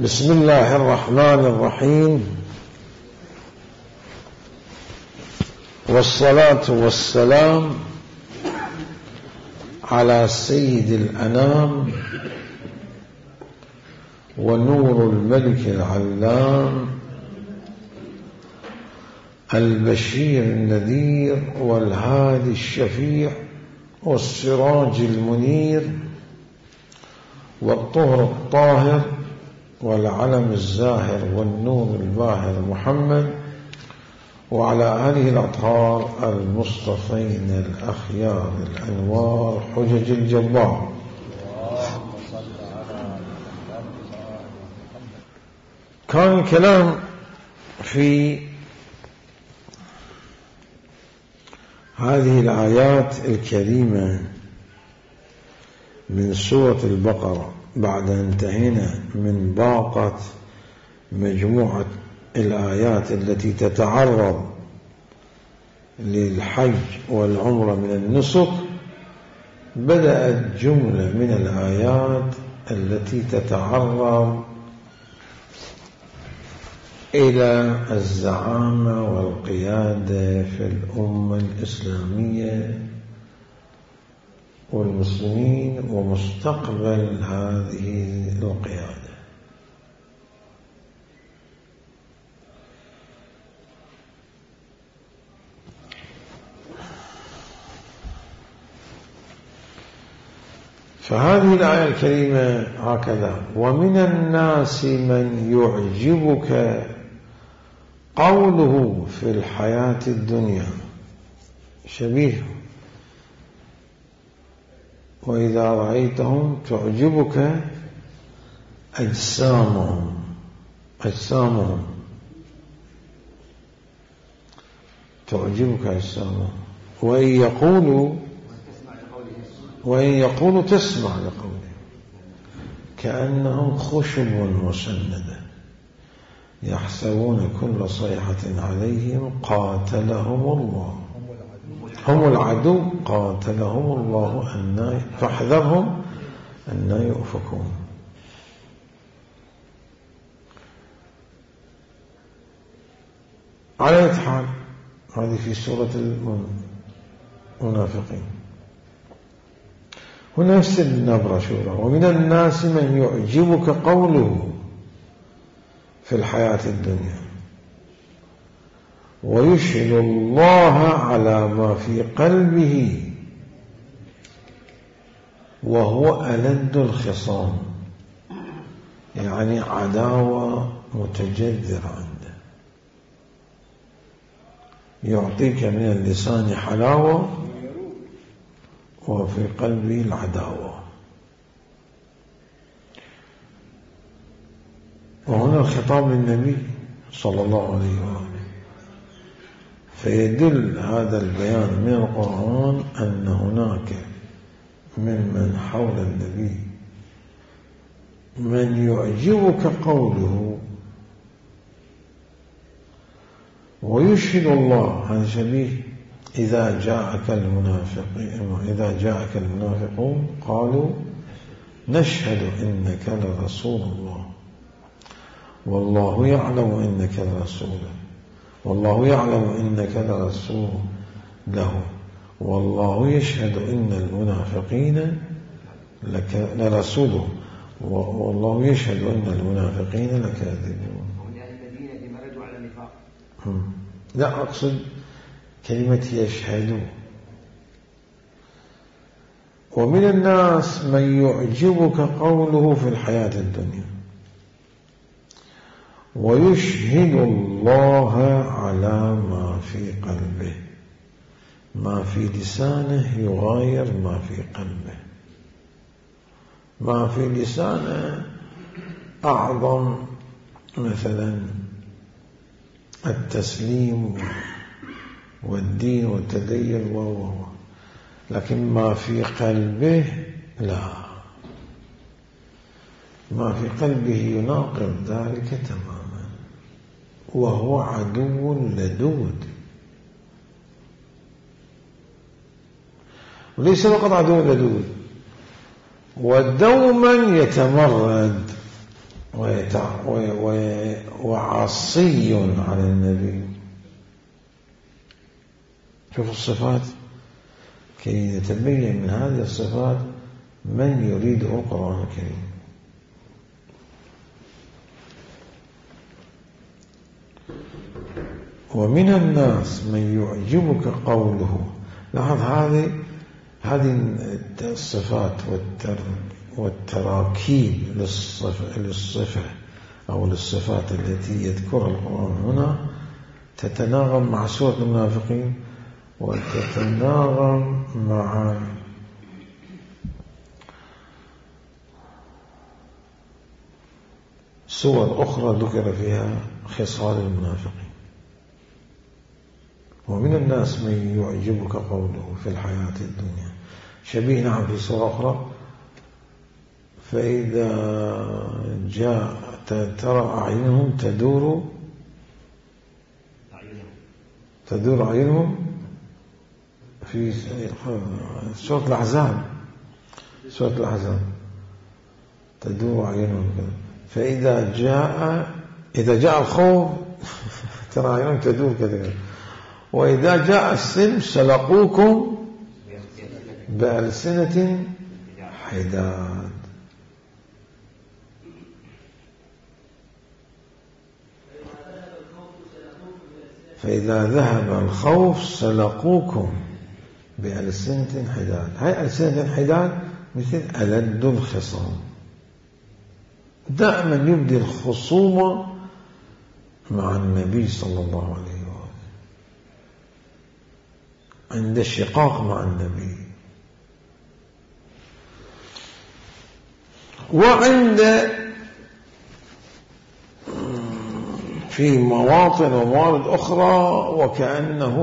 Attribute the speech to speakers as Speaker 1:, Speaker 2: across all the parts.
Speaker 1: بسم الله الرحمن الرحيم، والصلاة والسلام على سيد الأنام ونور الملك العلام البشير النذير والهادي الشفيع والسراج المنير والطهر الطاهر والعلم الزاهر والنور الباهر محمد وعلى آله الأطهار المصطفين الأخيار الأنوار حجج الجبار. كان الكلام في هذه الآيات الكريمة من سورة البقرة بعد أن انتهينا من باقة مجموعة الآيات التي تتعرض للحج والعمرة من النسك. بدأت جملة من الآيات التي تتعرض إلى الزعامة والقيادة في الأمة الإسلامية والمسلمين ومستقبل هذه القيادة. فهذه الآية الكريمة هكذا: ومن الناس من يعجبك قوله في الحياة الدنيا، شبيه وإذا رأيتهم تعجبك أجسامهم تعجبك أجسامهم وإن يقولوا تسمع لقولهم كأنهم خشب مسندة يحسبون كل صيحة عليهم قاتلهم الله، هم العدو قاتلهم الله فاحذرهم أن يؤفكون. على أي حال هذه في سورة المنافقين. هنا نفس النبرة شورى: ومن الناس من يعجبك قوله في الحياة الدنيا ويشهد الله على ما في قلبه وهو ألد الخصام، يعني عداوة متجذرة عنده، يعطيك من اللسان حلاوة وفي قلبه العداوة. وهنا الخطاب للنبي صلى الله عليه وآله، فيدل هذا البيان من القرآن أن هناك ممن حول النبي من يعجبك قوله ويشهد الله. هذا شبيه إذا جاءك المنافقون قالوا نشهد إنك لرسول الله والله يعلم إنك لرسوله والله يعلم إنك لرسول له والله يشهد إن المنافقين لرسوله والله يشهد إن المنافقين لكاذبون.
Speaker 2: الذين مرجوا على النفاق.
Speaker 1: لا، أقصد كلمة يشهدوا. ومن الناس من يعجبك قوله في الحياة الدنيا ويشهد الله على ما في قلبه. ما في لسانه يغاير ما في قلبه. ما في لسانه أعظم مثلا التسليم والدين والتدين لكن ما في قلبه لا، ما في قلبه يناقض ذلك تماما، وهو عدو لدود. وليس فقط عدو لدود، ودوما يتمرد وعصي على النبي. شوف الصفات كي نتبين من هذه الصفات من يريده القرآن الكريم. ومن الناس من يعجبك قوله. لاحظ هذه الصفات والتراكيب للصفة أو للصفات التي يذكرها القرآن هنا تتناغم مع سورة المنافقين وتتناغم مع سور أخرى ذكر فيها خصال المنافقين. ومن الناس من يعجبك قوله في الحياة الدنيا شبيه نعم في سورة أخرى فإذا جاء ترى أعينهم تدور أعينهم في سورة الأحزاب تدور أعينهم فإذا جاء الخوف ترى أعينهم تدور كذا. وإذا جاء السلم سلقوكم بألسنة حداد. فإذا ذهب الخوف سلقوكم بألسنة حداد. هاي ألسنة حداد مثل ألد الخصام. دائما يبدي الخصومة مع النبي صلى الله عليه وسلم عند الشقاق مع النبي وعند في مواطن وموارد أخرى وكأنه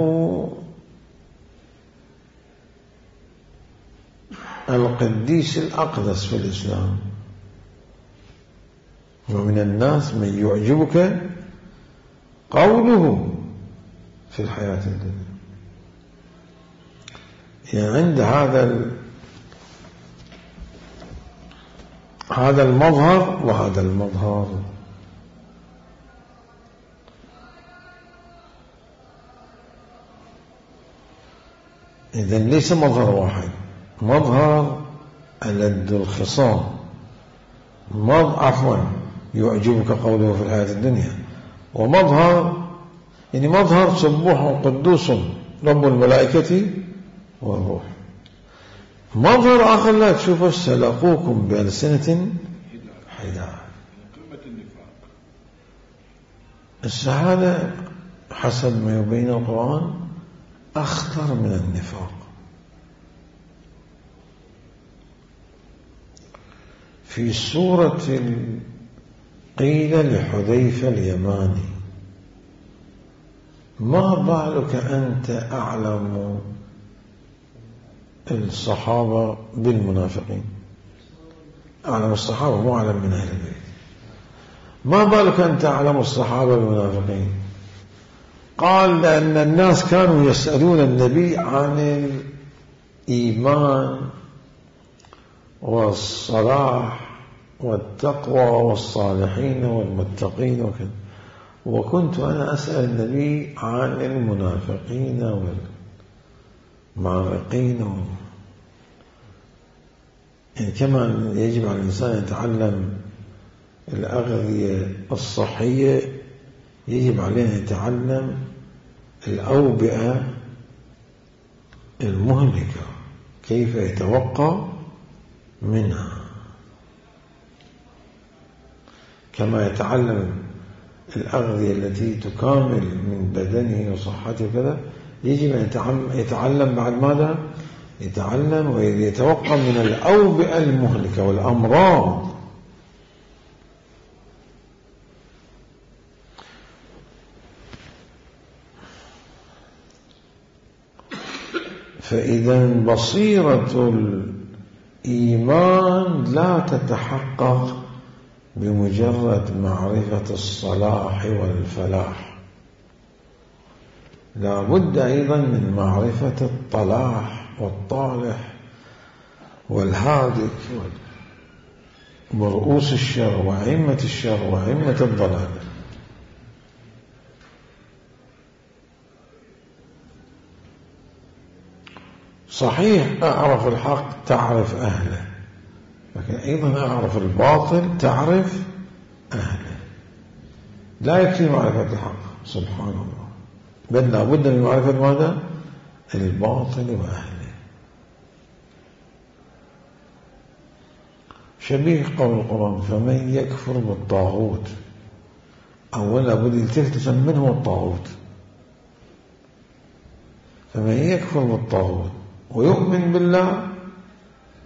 Speaker 1: القديس الأقدس في الإسلام. ومن الناس من يعجبك قوله في الحياة الدنيا. يعني عند هذا المظهر وهذا المظهر. إذن ليس مظهر واحد، مظهر ألد الخصام، يعجبك قوله في الحياة الدنيا، ومظهر يعني مظهر سبوح قدوس رب الملائكة والروح. مظهر آخر لا تشوفه سلقوكم بألسنة حداد. السعادة حسب ما يبين القرآن أخطر من النفاق. في سورة قيل لحذيفة اليماني ما بالك أنت أعلم الصحابة بالمنافقين، أعلم الصحابة مو أعلم من أهل البيت، ما بالك أنت أعلم الصحابة بالمنافقين؟ قال لأن الناس كانوا يسألون النبي عن الإيمان والصلاح والتقوى والصالحين والمتقين وكذا، وكنت أنا أسأل النبي عن المنافقين والمعرقين يعني كما يجب على الإنسان يتعلم الأغذية الصحية يجب عليه أن يتعلم الأوبئة المهلكة كيف يتوقى منها، كما يتعلم الأغذية التي تكامل من بدنه وصحته وكذا، يجب أن يتعلم بعد ماذا؟ يتعلم ويتوقع من الأوبئة المهلكة والأمراض. فإذا بصيرة الإيمان لا تتحقق بمجرد معرفة الصلاح والفلاح، لا بد أيضا من معرفة الطلاح والطالح والهادك. ورؤوس الشر وأئمة الشر وأئمة الضلال. صحيح أعرف الحق تعرف أهله، لكن أيضا أعرف الباطل تعرف أهله. لا يكفي معرفة الحق سبحان الله، بل لا بد من معرفة ماذا؟ الباطل وأهله. شبيه قول القرآن فمن يكفر بالطاغوت، أولا بد يلتفت من هو الطاغوت. فمن يكفر بالطاغوت ويؤمن بالله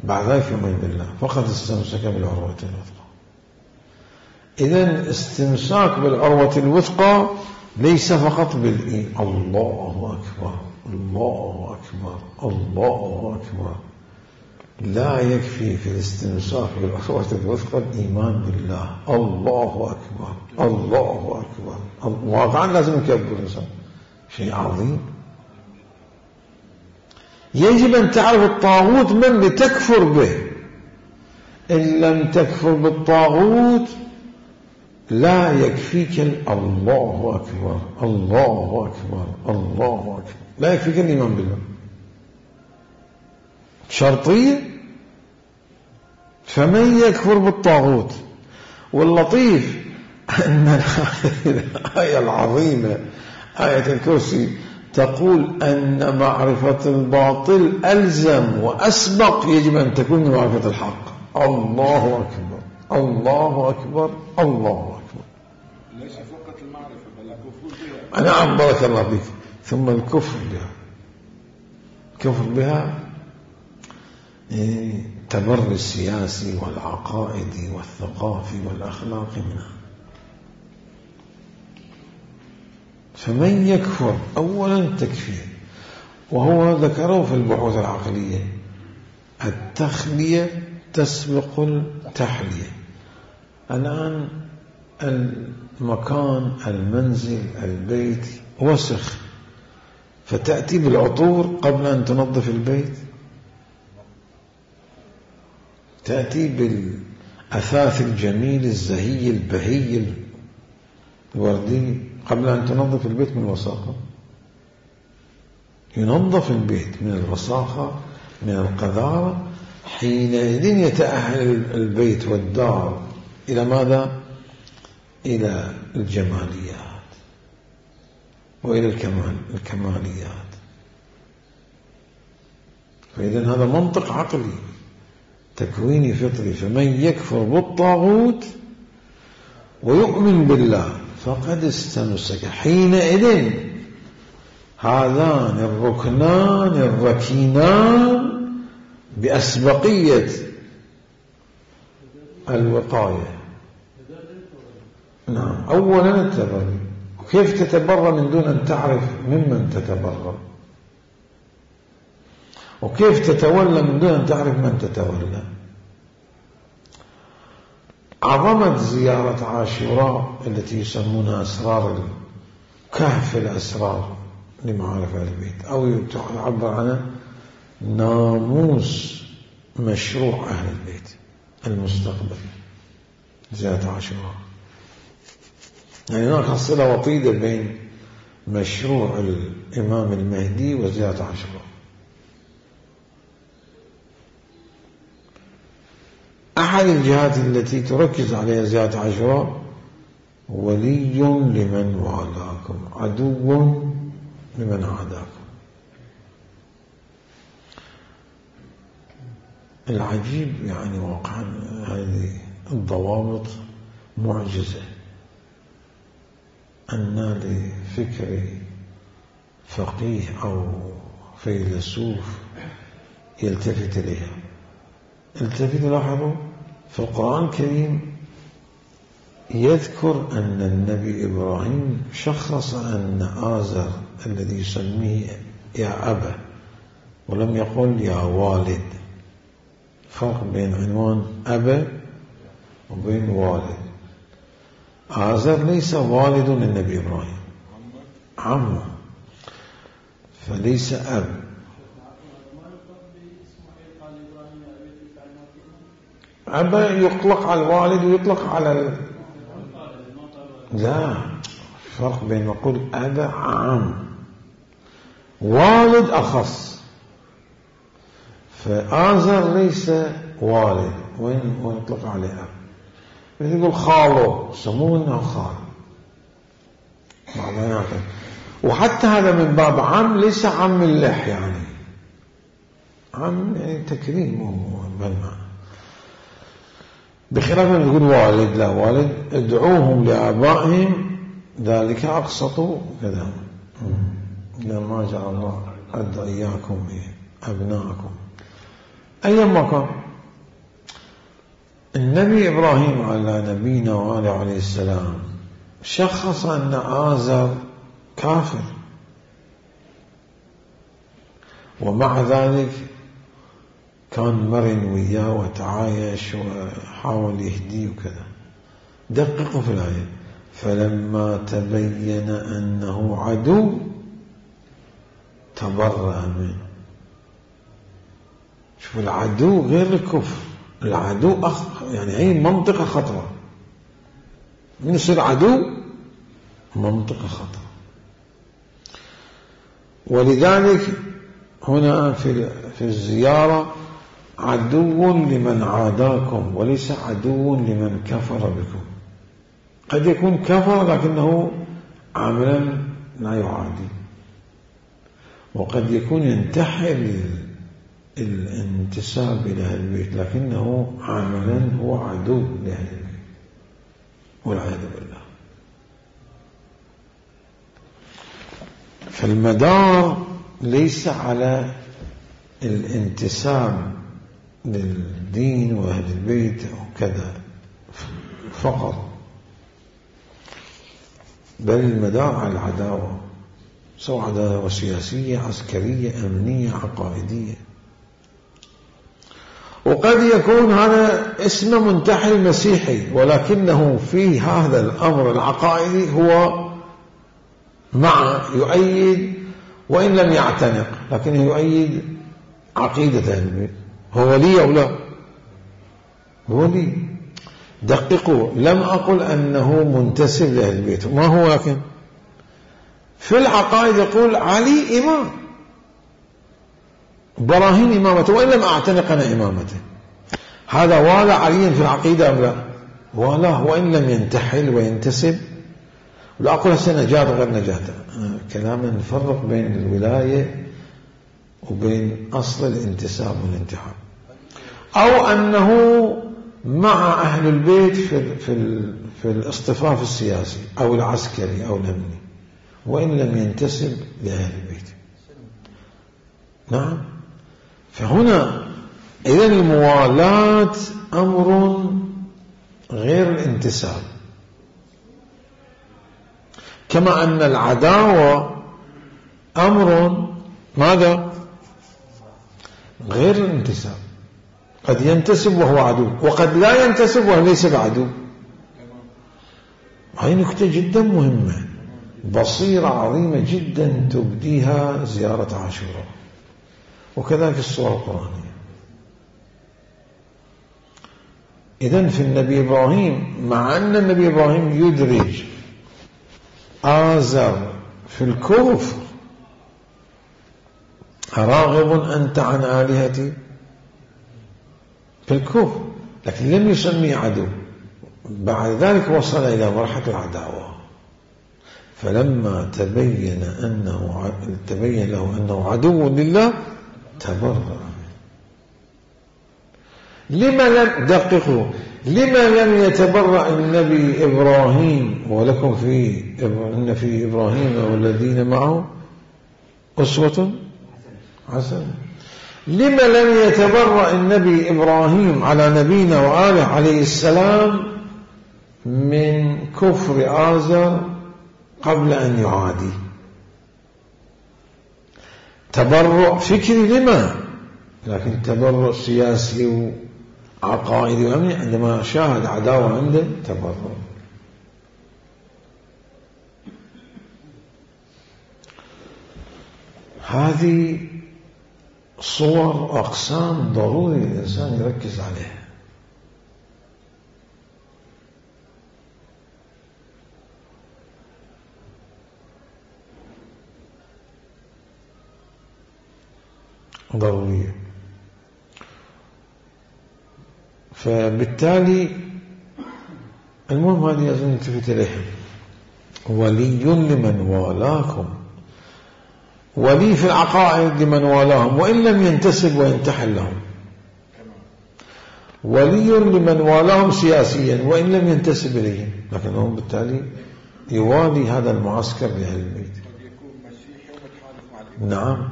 Speaker 1: بعد ذلك يؤمن بالله فقد استمسك بالعروة الوثقى. إذن استمساك بالعروة الوثقى ليس فقط بالإيمان. الله أكبر الله أكبر الله أكبر. لا يكفي في الاستمساك بالعروة الوثقى الإيمان بالله. الله أكبر الله أكبر. واقعا لازم يكبر الإنسان، شيء عظيم. يجب أن تعرف الطاغوت من لتكفر به. إن لم تكفر بالطاغوت لا يكفيك الله أكبر الله أكبر الله أكبر، لا يكفيك الإيمان بالله، شرطية. فمن يكفر بالطاغوت. واللطيف أن الآية العظيمة آية الكرسي تقول أن معرفة الباطل ألزم وأسبق يجب أن تكون من معرفة الحق. الله أكبر الله أكبر الله أكبر.
Speaker 3: ليس فقط المعرفة بل الكفر بها.
Speaker 1: نعم بارك الله بك. ثم الكفر بها، الكفر بها تبر السياسي والعقائدي والثقافي والأخلاقي منها. فمن يكفر أولا تكفير، وهو ذكره في البحوث العقلية التخلية تسبق التحلية. الآن المكان المنزل البيت وسخ، فتأتي بالعطور قبل أن تنظف البيت، تأتي بالأثاث الجميل الزهي البهي الوردي قبل أن تنظف البيت من الوساخة. ينظف البيت من الوساخة من القذارة، حينئذ يتأهل البيت والدار إلى ماذا؟ إلى الجماليات وإلى الكماليات. فإذن هذا منطق عقلي تكويني فطري. فمن يكفر بالطاغوت ويؤمن بالله فقد استمسك. حينئذ هذان الركنان الركينان بأسبقية الوقاية. نعم أولا التبري. وكيف تتبرى من دون أن تعرف ممن تتبرى؟ وكيف تتولى من دون أن تعرف من تتولى؟ عظمة زيارة عاشوراء التي يسمونها أسرار كهف الأسرار لمعارف أهل البيت، أو يعبر عنها ناموس مشروع أهل البيت المستقبل، زيارة عاشوراء. يعني هناك صلة وطيدة بين مشروع الإمام المهدي وزيارة عاشوراء. أحد الجهات التي تركز عليها زيارة عاشوراء ولي لمن والاكم عدو لمن عاداكم. العجيب يعني واقعا هذه الضوابط معجزة أن لفكر فقيه أو فيلسوف يلتفت إليها. التفت لاحظوا في القرآن الكريم يذكر أن النبي إبراهيم شخص أن آزر الذي يسميه يا أبا، ولم يقل يا والد. فرق بين عنوان أبا وبين والد. آزر ليس والد للنبي إبراهيم، عمه، فليس أب. أبا يطلق على الوالد ويطلق على لا، فرق بين نقول أبا عام، والد أخص. فآزر ليس والد، وين يطلق عليه أب؟ مثل يقول خاله، سموه إنه خال معناته. وحتى هذا من باب عم، ليس عم اللح يعني، عم يعني تكريم بالمعنى، بخلاف من يقول والد. لا، والد ادعوهم لآبائهم ذلك أقسط كذا، ما جعل الله أدعياكم أبناءكم. أيما كان النبي إبراهيم على نبينا وآله عليه السلام شخص أن آزر كافر، ومع ذلك كان مرن وياه وتعايش وحاول يهديه وكذا. دققوا في الآية: فلما تبين أنه عدو تبرأ منه. شوف، العدو غير الكفر، العدو يعني هي منطقة خطرة. من يصير عدو؟ منطقة خطرة. ولذلك هنا في الزيارة عدو لمن عاداكم وليس عدو لمن كفر بكم. قد يكون كفر لكنه عملا لا يعادي، وقد يكون ينتحل الانتساب إلى أهل البيت لكنه عملا هو عدو لأهل البيت والعياذ بالله. فالمدار ليس على الانتساب للدين وأهل البيت وكذا فقط، بل المدار على العداوة، سواء عداوة سياسية، عسكرية، أمنية، عقائدية. وقد يكون هذا اسم منتحل مسيحي، ولكنه في هذا الأمر العقائدي هو يؤيد وإن لم يعتنق، لكنه يؤيد عقيدة أهل البيت. هو ولي أو لا؟ هو ولي. دققوا، لم أقل أنه منتسب لأهل البيت، ما هو، لكن في العقائد يقول علي إمام، براهين إمامته وإن لم أعتنق أنا إمامته. هذا والى علي في العقيدة أم لا؟ والاه وإن لم ينتحل وينتسب. ولا أقول هسه نجاة غير نجاة، كلاما نفرق بين الولاية وبين أصل الانتساب والانتحاب. أو أنه مع أهل البيت في الاصطفاف السياسي أو العسكري أو الأمني وإن لم ينتسب لأهل البيت. نعم. فهنا إذن الموالاة أمر غير الانتساب، كما أن العداوة أمر ماذا؟ غير الانتساب. قد ينتسب وهو عدو، وقد لا ينتسب وهو ليس بعدو. هذه نكتة جدا مهمة، بصيرة عظيمة جدا تبديها زيارة عاشوراء، وكذلك الصور القرآنية. إذن في النبي إبراهيم، مع أن النبي إبراهيم يدرج آزر في الكفر: أراغب أنت عن آلهتي، في الكفر، لكن لم يسميه عدو. بعد ذلك وصل إلى مرحلة العداوة، فلما تبين له أنه عدو لله تبرأ. لما لم يتبرأ النبي إبراهيم؟ ولكم إن في إبراهيم والذين معه أسوة حسنة. لما لم يتبرأ النبي إبراهيم على نبينا وآله عليه السلام من كفر آزر قبل أن يعادي؟ تبرؤ فكري لما، لكن تبرؤ سياسي وعقائدي وأمني عندما شاهد عداوة عنده تبرؤ. هذه صور وأقسام ضروري الإنسان يركز عليها. ضرورية. فبالتالي المهم هذه أظن نلتفت إليها. ولي لمن والاكم، ولي في العقائد لمن والاهم وإن لم ينتسب وينتحل لهم، ولي لمن والاهم سياسيا وإن لم ينتسب إليهم، لكنه بالتالي يوالي هذا المعسكر لأهل البيت. نعم،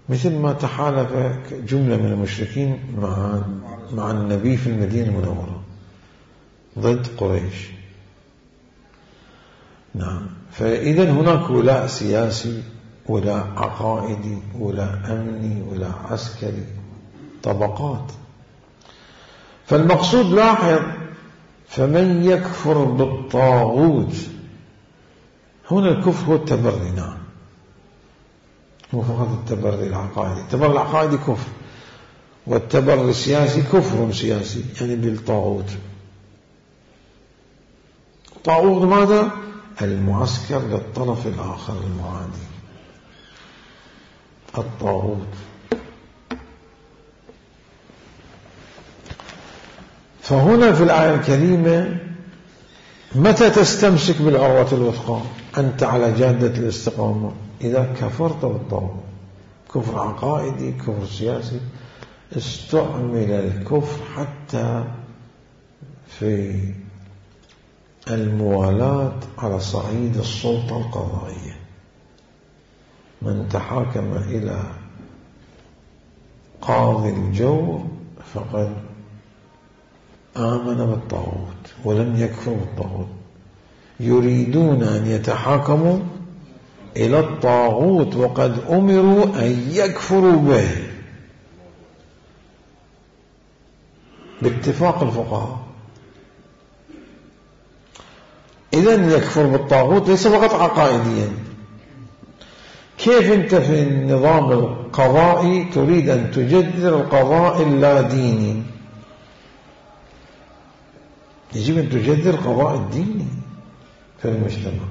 Speaker 1: مثل ما تحالف جملة من المشركين مع النبي في المدينة المنورة ضد قريش. نعم، فإذا هناك ولاء سياسي، ولاء عقائدي، ولاء أمني، ولاء عسكري، طبقات. فالمقصود لاحظ، فمن يكفر بالطاغوت، هنا الكفر هو التبري. نعم، مو فقط التبري العقائدي، التبري العقائدي كفر، والتبري السياسي كفر سياسي، يعني بالطاغوت. طاغوت ماذا؟ المعسكر للطرف الآخر المعادي، الطاغوت. فهنا في الآية الكريمة متى تستمسك بالعروة الوثقى؟ أنت على جادة الاستقامة إذا كفرت بالطاغوت. كفر عقائدي، كفر سياسي. استعمل الكفر حتى في الموالاة على صعيد السلطة القضائية. من تحاكم إلى قاضي الجور فقد آمن بالطاغوت ولم يكفر بالطاغوت. يريدون أن يتحاكموا إلى الطاغوت وقد أمروا أن يكفروا به باتفاق الفقهاء. إذن يكفر بالطاغوت ليس فقط عقائديا. كيف أنت في النظام القضائي تريد أن تجدد القضاء اللاديني؟ يجب أن تجدد القضاء الديني في المجتمع،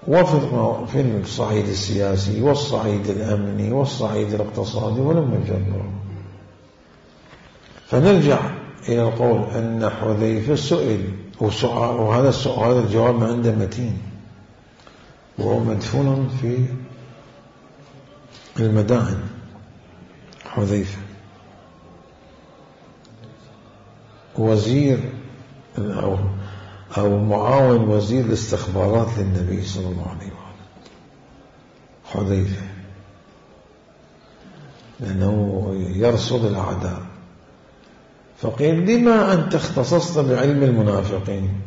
Speaker 1: وفي الصعيد السياسي والصعيد الأمني والصعيد الاقتصادي ولم يجدد. فنرجع إلى القول أن حذيفة سئل، وهذا السؤال هذا الجواب ما عنده متين، وهو مدفون في المدائن. حذيفة وزير أو معاون وزير الاستخبارات للنبي صلى الله عليه وسلم، حذيفة، لأنه يرصد الأعداء. فقيل لما أنت اختصصت بعلم المنافقين؟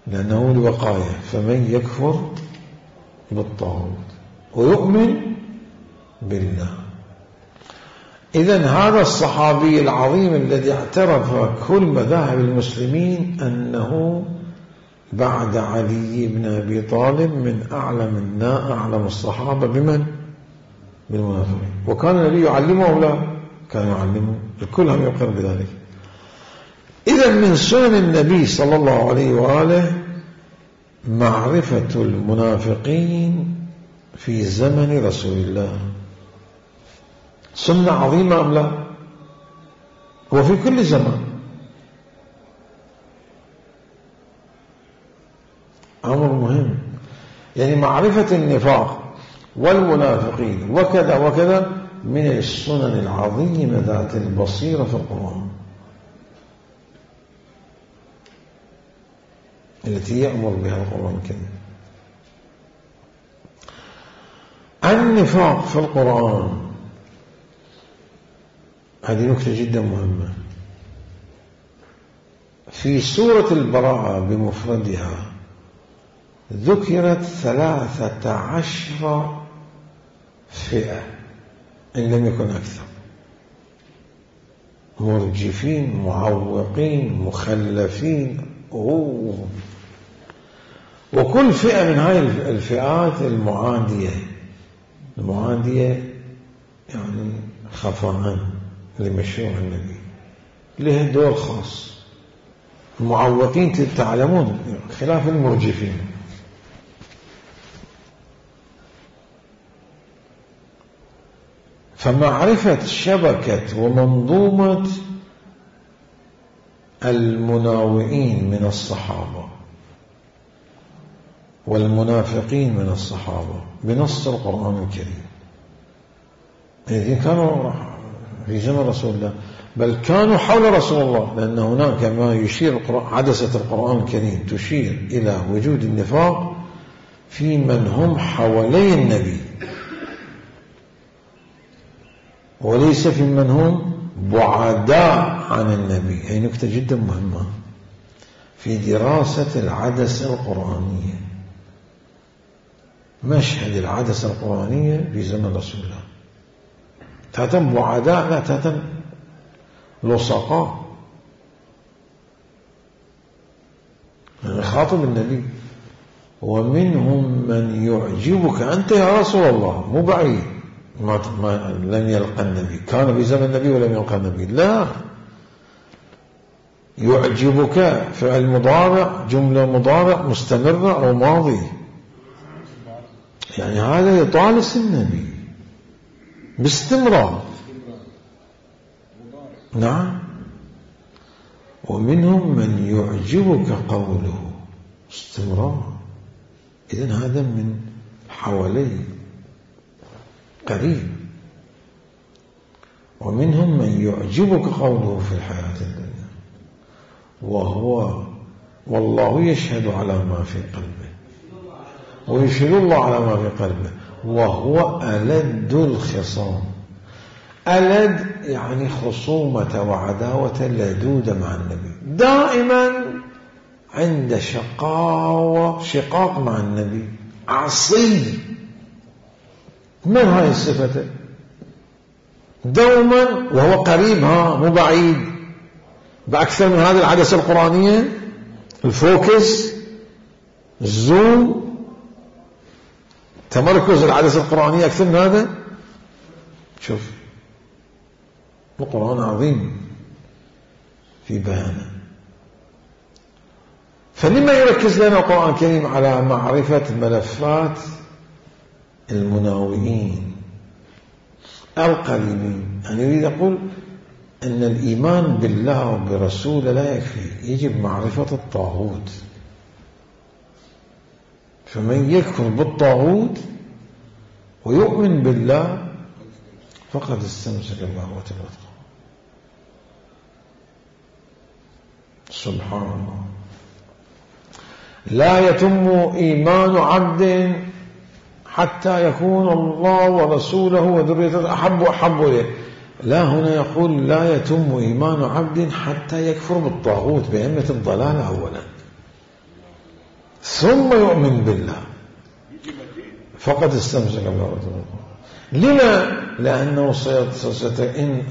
Speaker 1: لأنه الوقاية. فمن يكفر بالطاغوت ويؤمن بالله. إذن هذا الصحابي العظيم الذي اعترف كل مذاهب المسلمين أنه بعد علي بن أبي طالب من أعلم الصحابة بمن؟ بالمنافقين. وكان النبي يعلمه أو لا؟ كان يعلمه، الكل هم يقر بذلك. إذن من سنن النبي صلى الله عليه وآله معرفة المنافقين في زمن رسول الله. سنة عظيمة أم لا؟ وفي كل زمان. أمر مهم، يعني معرفة النفاق والمنافقين وكذا وكذا من السنن العظيمة ذات البصيرة في القرآن التي يأمر بها القرآن الكريم. النفاق في القرآن هذه نكتة جدا مهمة. في سورة البراءة بمفردها ذكرت 13 فئة إن لم يكن أكثر، مرجفين، معوقين، مخلفين، وكل فئة من هاي الفئات المعادية يعني خفاءً لمشروع النبي له دور خاص. المعوقين تعلمون خلاف المرجفين. فمعرفة شبكة ومنظومة المناوئين من الصحابة والمنافقين من الصحابة بنص القرآن الكريم الذين كانوا في زمن رسول الله، بل كانوا حول رسول الله، لأن هناك ما يشير عدسة القرآن الكريم تشير إلى وجود النفاق في من هم حوالي النبي وليس في من هم بعداء عن النبي. هي نكتة جدا مهمة في دراسة العدسة القرآنية. مشهد العدسة القرآنية في زمن رسول الله تاتم بعداء لا تاتم لصقاء، خاطب النبي ومنهم من يعجبك أنت يا رسول الله، مو بعيد ما لم يلقى النبي، كان في زمن النبي ولم يلقى النبي، لا، يعجبك فعل مضارع، جملة مضارع مستمرة أو ماضي، يعني هذا يطالس النبي باستمرار. نعم. ومنهم من يعجبك قوله استمرار، إذن هذا من حوالي قريب. ومنهم من يعجبك قوله في الحياة الدنيا والله يشهد على ما في قلبه ويشهد الله على ما في قلبه وهو ألد الخصام. ألد يعني خصومة وعداوة لدودة مع النبي، دائما عند شقاق مع النبي، عصي. من هاي الصفة؟ دوما وهو قريب، مو بعيد، بأكثر من هذه العدسة القرآنية، الفوكس، الزوم، تمركز العدسة القرآنية أكثر من هذا. شوف القرآن عظيم في بيانه. فلما يركز لنا القرآن الكريم على معرفة ملفات المناوئين القريبين؟ يعني يريد يقول أن الإيمان بالله وبرسوله لا يكفي، يجب معرفة الطاغوت. فمن يكفر بالطاغوت ويؤمن بالله فقد استمسك بالعروة الوثقى. سبحان الله. لا يتم إيمان عبد حتى يكون الله ورسوله وذريته أحب إليه. لا، هنا يقول لا يتم إيمان عبد حتى يكفر بالطاغوت بأئمة الضلال أولا، ثم يؤمن بالله فقد استمسك بالعروة الوثقى. لما؟ لأنه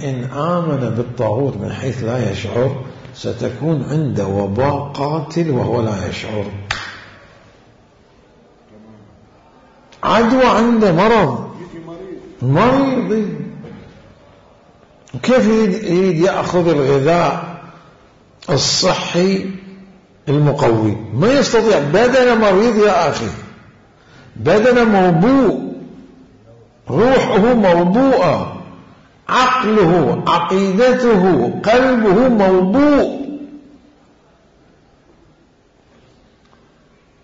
Speaker 1: إن آمن بالطاغوت من حيث لا يشعر ستكون عنده وباء قاتل وهو لا يشعر، عدوى، عنده مريض. كيف يريد يأخذ الغذاء الصحي المقوي؟ ما يستطيع، بدنه مريض يا أخي، بدنه موبوء، روحه موبوءة، عقله، عقيدته، قلبه موبوء.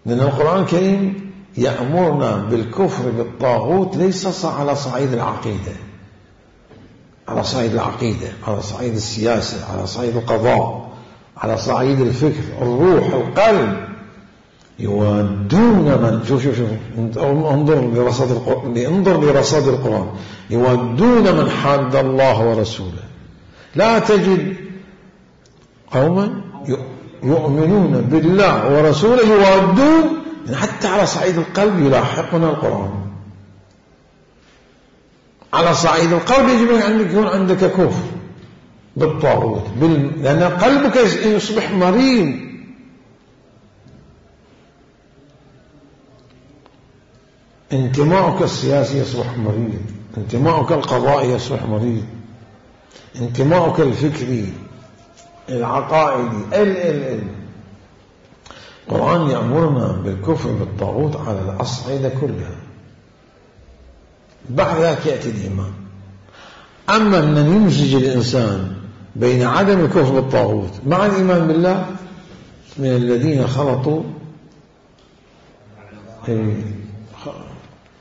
Speaker 1: لأن القرآن الكريم يأمرنا بالكفر بالطاغوت ليس على صعيد العقيدة، على صعيد العقيدة، على صعيد السياسة، على صعيد القضاء، على صعيد الفكر، الروح، القلب. يودون من شوف انظر لرصاد القرآن. يودون من حاد الله ورسوله. لا تجد قوما يؤمنون بالله ورسوله يودون، حتى على صعيد القلب يلاحقنا القرآن. على صعيد القلب يجب أن يكون عندك كفر بالطاغوت، لأن قلبك يصبح مريض. انتماؤك السياسي يصبح مريض، انتماؤك القضائي يصبح مريض، انتماؤك الفكري العقائدي القرآن يأمرنا بالكفر بالطاغوت على الأصعدة كلها. بعد ذلك يأتي الإيمان. أما أن يمزج الإنسان بين عدم الكفر بالطاغوت مع الإيمان بالله من الذين خلطوا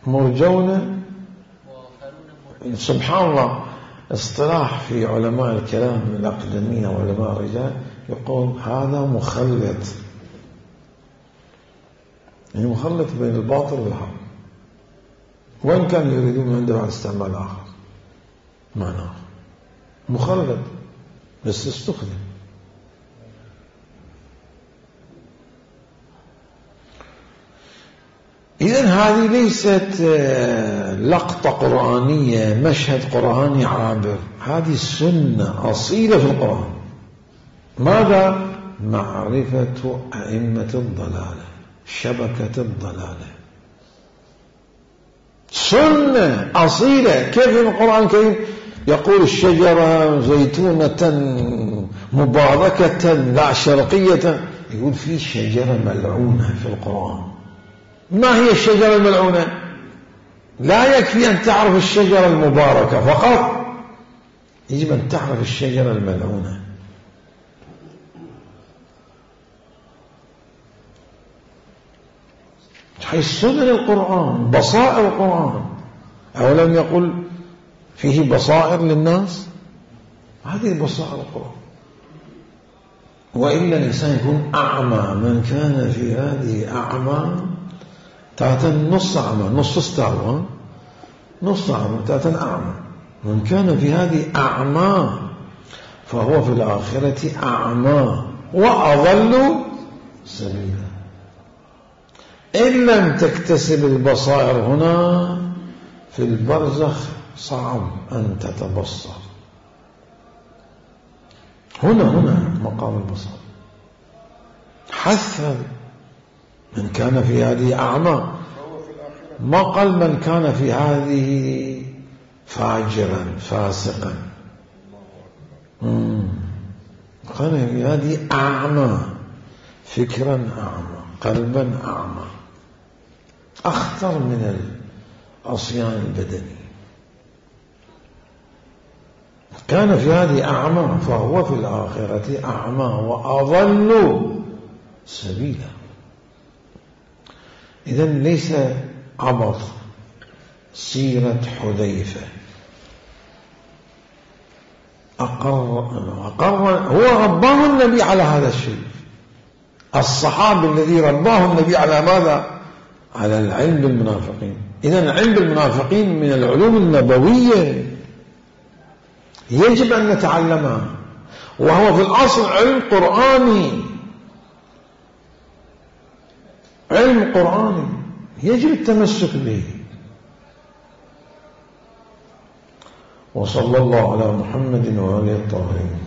Speaker 1: مرجون. سبحان الله، اصطلاح في علماء الكلام الأقدمين وعلماء الرجال يقول هذا مخلط، يعني مخلط بين الباطل والحق، وإن كان يريدون عنده عن استعمال آخر معناه مخلط بس استخدم. إذن هذه ليست لقطة قرآنية، مشهد قرآني عابر، هذه سنة أصيلة في القرآن. ماذا؟ معرفة أئمة الضلالة، شبكة الضلالة، سنة أصيلة. كيف القرآن الكريم يقول الشجرة زيتونة مباركة لا شرقية، يقول في شجرة ملعونة في القرآن. ما هي الشجرة الملعونة؟ لا يكفي أن تعرف الشجرة المباركة فقط، يجب أن تعرف الشجرة الملعونة. حيث سنن القرآن بصائر القرآن، أولم يقل فيه بصائر للناس؟ هذه بصائر القرآن. وإلا الإنسان يكون أعمى، من كان في هذه أعمى تاتا نص أعمى، نص استعمى، نص أعمى تاتا أعمى. من كان في هذه أعمى فهو في الآخرة أعمى وأضل سبيلا. إن لم تكتسب البصائر هنا في البرزخ صعب أن تتبصر. هنا مقام البصر. حث من كان في هذه أعمى، ما قال من كان في هذه فاجرا فاسقا، كان في هذه أعمى، فكرا أعمى، قلبا أعمى، أخطر من العصيان البدني. كان في هذه أعمى فهو في الآخرة أعمى وأضل سبيلا. إذن ليس عبط سيرة حذيفة، أقر هو رباه النبي على هذا الشيء. الصحابي الذي رباه النبي على ماذا؟ على العلم بالمنافقين. إذن العلم بالمنافقين من العلوم النبوية يجب أن نتعلمها، وهو في الأصل علم قرآني، علم قرآني يجب التمسك به. وصلى الله على محمد وآله الطاهرين.